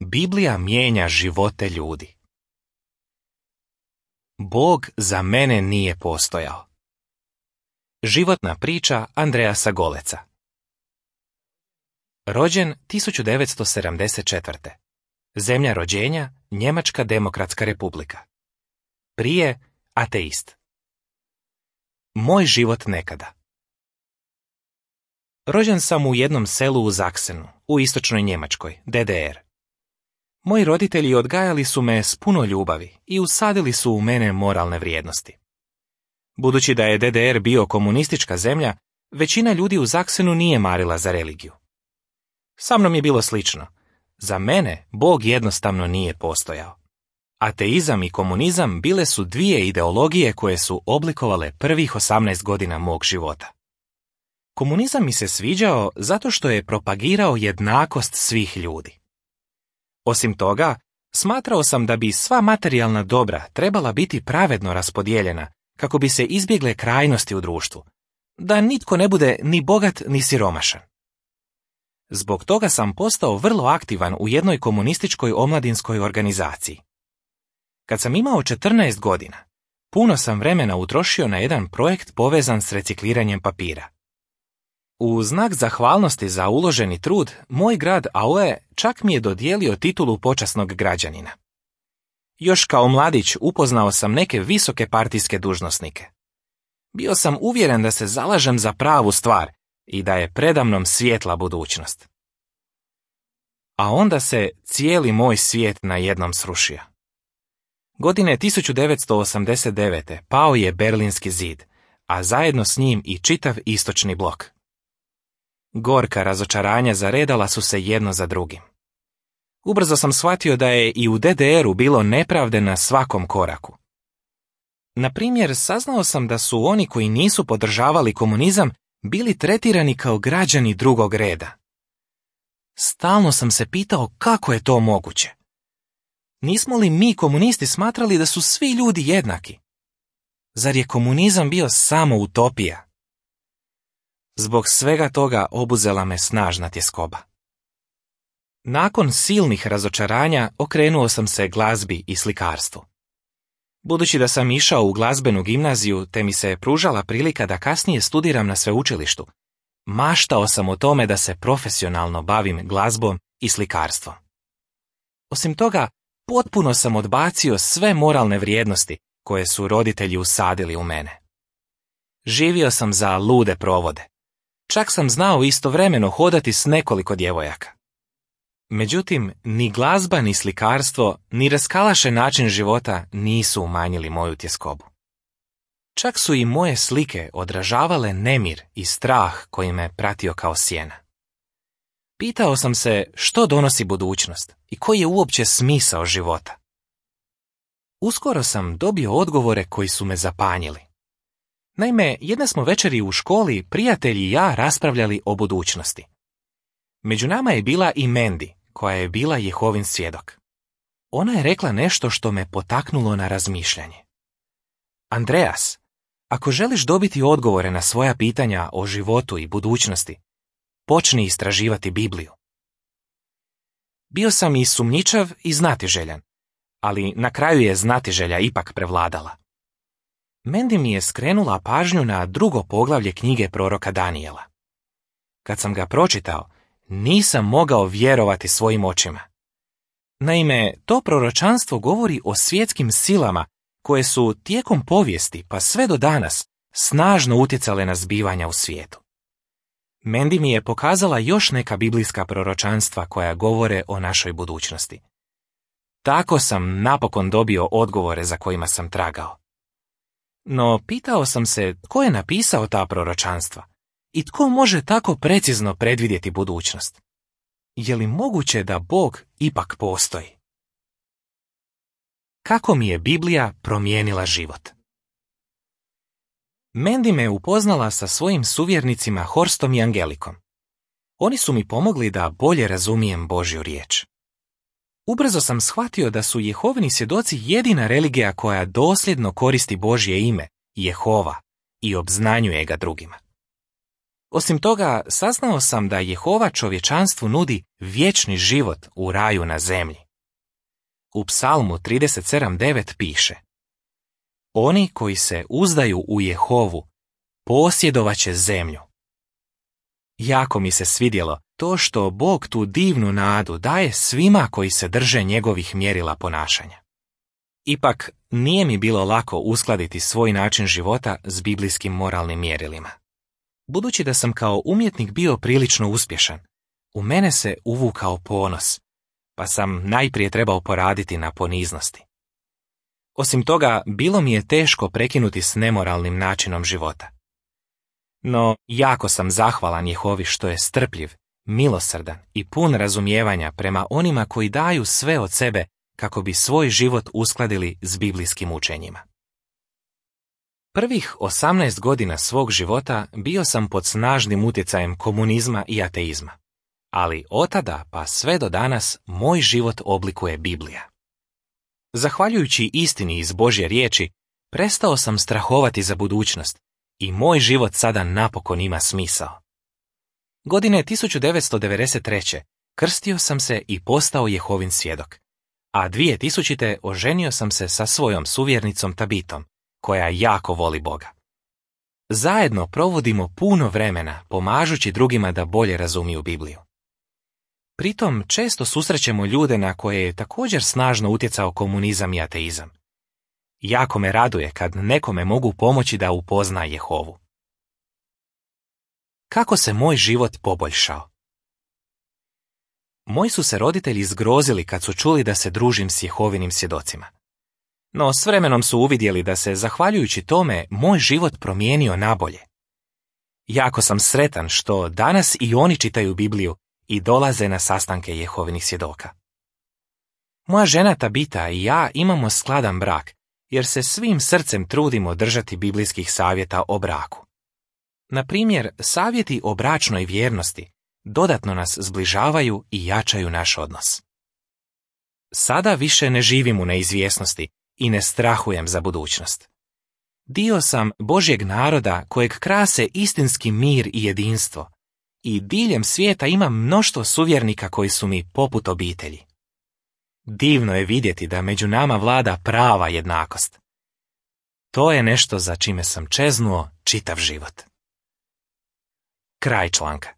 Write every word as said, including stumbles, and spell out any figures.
Biblija mijenja živote ljudi. Bog za mene nije postojao. Životna priča Andreasa Goleca. Rođen tisuću devetsto sedamdeset četvrte. Zemlja rođenja Njemačka demokratska republika. Prije ateist. Moj život nekada. Rođen sam u jednom selu u Zaksenu, u istočnoj Njemačkoj, D D R. Moji roditelji odgajali su me s puno ljubavi i usadili su u mene moralne vrijednosti. Budući da je D D R bio komunistička zemlja, većina ljudi u Zaksenu nije marila za religiju. Sa mnom je bilo slično. Za mene Bog jednostavno nije postojao. Ateizam i komunizam bile su dvije ideologije koje su oblikovale prvih osamnaest godina mog života. Komunizam mi se sviđao zato što je propagirao jednakost svih ljudi. Osim toga, smatrao sam da bi sva materijalna dobra trebala biti pravedno raspodijeljena kako bi se izbjegle krajnosti u društvu, da nitko ne bude ni bogat ni siromašan. Zbog toga sam postao vrlo aktivan u jednoj komunističkoj omladinskoj organizaciji. Kad sam imao četrnaest godina, puno sam vremena utrošio na jedan projekt povezan s recikliranjem papira. U znak zahvalnosti za uloženi trud, moj grad Aue čak mi je dodijelio titulu počasnog građanina. Još kao mladić upoznao sam neke visoke partijske dužnosnike. Bio sam uvjeren da se zalažem za pravu stvar i da je predamnom svijetla budućnost. A onda se cijeli moj svijet najednom srušio. Godine tisuću devetsto osamdeset devete. pao je Berlinski zid, a zajedno s njim i čitav istočni blok. Gorka razočaranja zaredala su se jedno za drugim. Ubrzo sam shvatio da je i u D D R-u bilo nepravde na svakom koraku. Na primjer, saznao sam da su oni koji nisu podržavali komunizam bili tretirani kao građani drugog reda. Stalno sam se pitao kako je to moguće. Nismo li mi komunisti smatrali da su svi ljudi jednaki? Zar je komunizam bio samo utopija? Zbog svega toga obuzela me snažna tjeskoba. Nakon silnih razočaranja okrenuo sam se glazbi i slikarstvu. Budući da sam išao u glazbenu gimnaziju te mi se pružala prilika da kasnije studiram na sveučilištu, maštao sam o tome da se profesionalno bavim glazbom i slikarstvom. Osim toga, potpuno sam odbacio sve moralne vrijednosti koje su roditelji usadili u mene. Živio sam za lude provode. Čak sam znao istovremeno hodati s nekoliko djevojaka. Međutim, ni glazba, ni slikarstvo, ni raskalašen način života nisu umanjili moju tjeskobu. Čak su i moje slike odražavale nemir i strah koji me pratio kao sjena. Pitao sam se što donosi budućnost i koji je uopće smisao života. Uskoro sam dobio odgovore koji su me zapanjili. Naime, jedne smo večeri u školi prijatelji i ja raspravljali o budućnosti. Među nama je bila i Mandy, koja je bila Jehovin svjedok. Ona je rekla nešto što me potaknulo na razmišljanje. Andreas, ako želiš dobiti odgovore na svoja pitanja o životu i budućnosti, počni istraživati Bibliju. Bio sam i sumnjičav i znatiželjan, ali na kraju je znatiželja ipak prevladala. Mandy mi je skrenula pažnju na drugo poglavlje knjige proroka Danijela. Kad sam ga pročitao, nisam mogao vjerovati svojim očima. Naime, to proročanstvo govori o svjetskim silama koje su tijekom povijesti pa sve do danas snažno utjecale na zbivanja u svijetu. Mandy mi je pokazala još neka biblijska proročanstva koja govore o našoj budućnosti. Tako sam napokon dobio odgovore za kojima sam tragao. No pitao sam se tko je napisao ta proročanstva i tko može tako precizno predvidjeti budućnost. Je li moguće da Bog ipak postoji? Kako mi je Biblija promijenila život? Mandy me upoznala sa svojim suvjernicima Horstom i Angelikom. Oni su mi pomogli da bolje razumijem Božju riječ. Ubrzo sam shvatio da su Jehovini svjedoci jedina religija koja dosljedno koristi Božje ime, Jehova, i obznanjuje ga drugima. Osim toga, saznao sam da Jehova čovječanstvu nudi vječni život u raju na zemlji. U Psalmu trideset sedam devet piše: Oni koji se uzdaju u Jehovu posjedovaće zemlju. Jako mi se svidjelo to što Bog tu divnu nadu daje svima koji se drže njegovih mjerila ponašanja. Ipak, nije mi bilo lako uskladiti svoj način života s biblijskim moralnim mjerilima. Budući da sam kao umjetnik bio prilično uspješan, u mene se uvukao ponos, pa sam najprije trebao poraditi na poniznosti. Osim toga, bilo mi je teško prekinuti s nemoralnim načinom života. No, jako sam zahvalan Jehovi što je strpljiv, milosrdan i pun razumijevanja prema onima koji daju sve od sebe kako bi svoj život uskladili s biblijskim učenjima. Prvih osamnaest godina svog života bio sam pod snažnim utjecajem komunizma i ateizma, ali otada pa sve do danas moj život oblikuje Biblija. Zahvaljujući istini iz Božje riječi, prestao sam strahovati za budućnost i moj život sada napokon ima smisao. Godine tisuću devetsto devedeset treće. krstio sam se i postao Jehovin svjedok, a dvije tisućite. oženio sam se sa svojom suvjernicom Tabitom, koja jako voli Boga. Zajedno provodimo puno vremena pomažući drugima da bolje razumiju Bibliju. Pritom često susrećemo ljude na koje je također snažno utjecao komunizam i ateizam. Jako me raduje kad nekome mogu pomoći da upozna Jehovu. Kako se moj život poboljšao? Moji su se roditelji zgrozili kad su čuli da se družim s Jehovinim svjedocima. No s vremenom su uvidjeli da se, zahvaljujući tome, moj život promijenio nabolje. Jako sam sretan što danas i oni čitaju Bibliju i dolaze na sastanke Jehovinih svjedoka. Moja žena Tabita i ja imamo skladan brak, jer se svim srcem trudimo držati biblijskih savjeta o braku. Na primjer, savjeti o bračnoj vjernosti dodatno nas zbližavaju i jačaju naš odnos. Sada više ne živim u neizvjesnosti i ne strahujem za budućnost. Dio sam Božjeg naroda kojeg krase istinski mir i jedinstvo, i diljem svijeta imam mnoštvo suvjernika koji su mi poput obitelji. Divno je vidjeti da među nama vlada prava jednakost. To je nešto za čime sam čeznuo čitav život. Kraj članka.